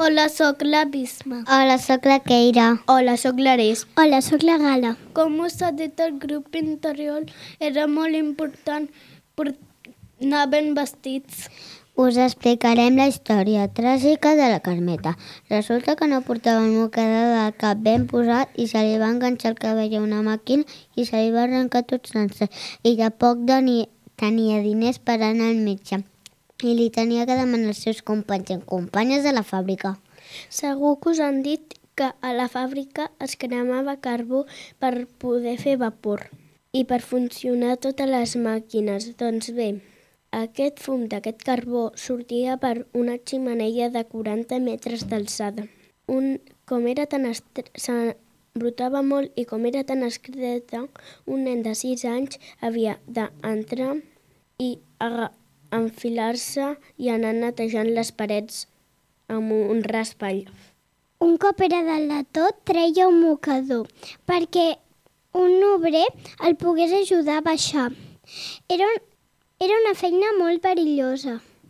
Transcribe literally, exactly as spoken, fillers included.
Hola, sóc la Bisma. Hola, sóc la Keira. Hola, sóc l'Ares. Hola, sóc la Gala. Com us ha dit el grup interior, era molt important anar ben vestits. Us explicarem la història tràgica de la Carmeta. Resulta que no portava el mocador del cap ben posat i se li va enganxar el cabell a una màquina i se li va arrencar tot sencer. I de poc tenia, tenia diners per anar al metge i li tenia que demanar als seus companys i companyes de la fàbrica. Segur que us han dit que a la fàbrica es cremava carbó per poder fer vapor i per funcionar totes les màquines. Doncs bé, aquest fum d'aquest carbó sortia per una xemeneia de quaranta metres d'alçada. Un, com era tan estre... s'embrutava molt i com era tan estreta, un nen de sis anys havia d'entrar i enfilar-se i anar netejant les parets amb un raspall. Un cop era dalt de tot, treia un mocador perquè un obrer el pogués ajudar a baixar. Era, un, era una feina molt perillosa.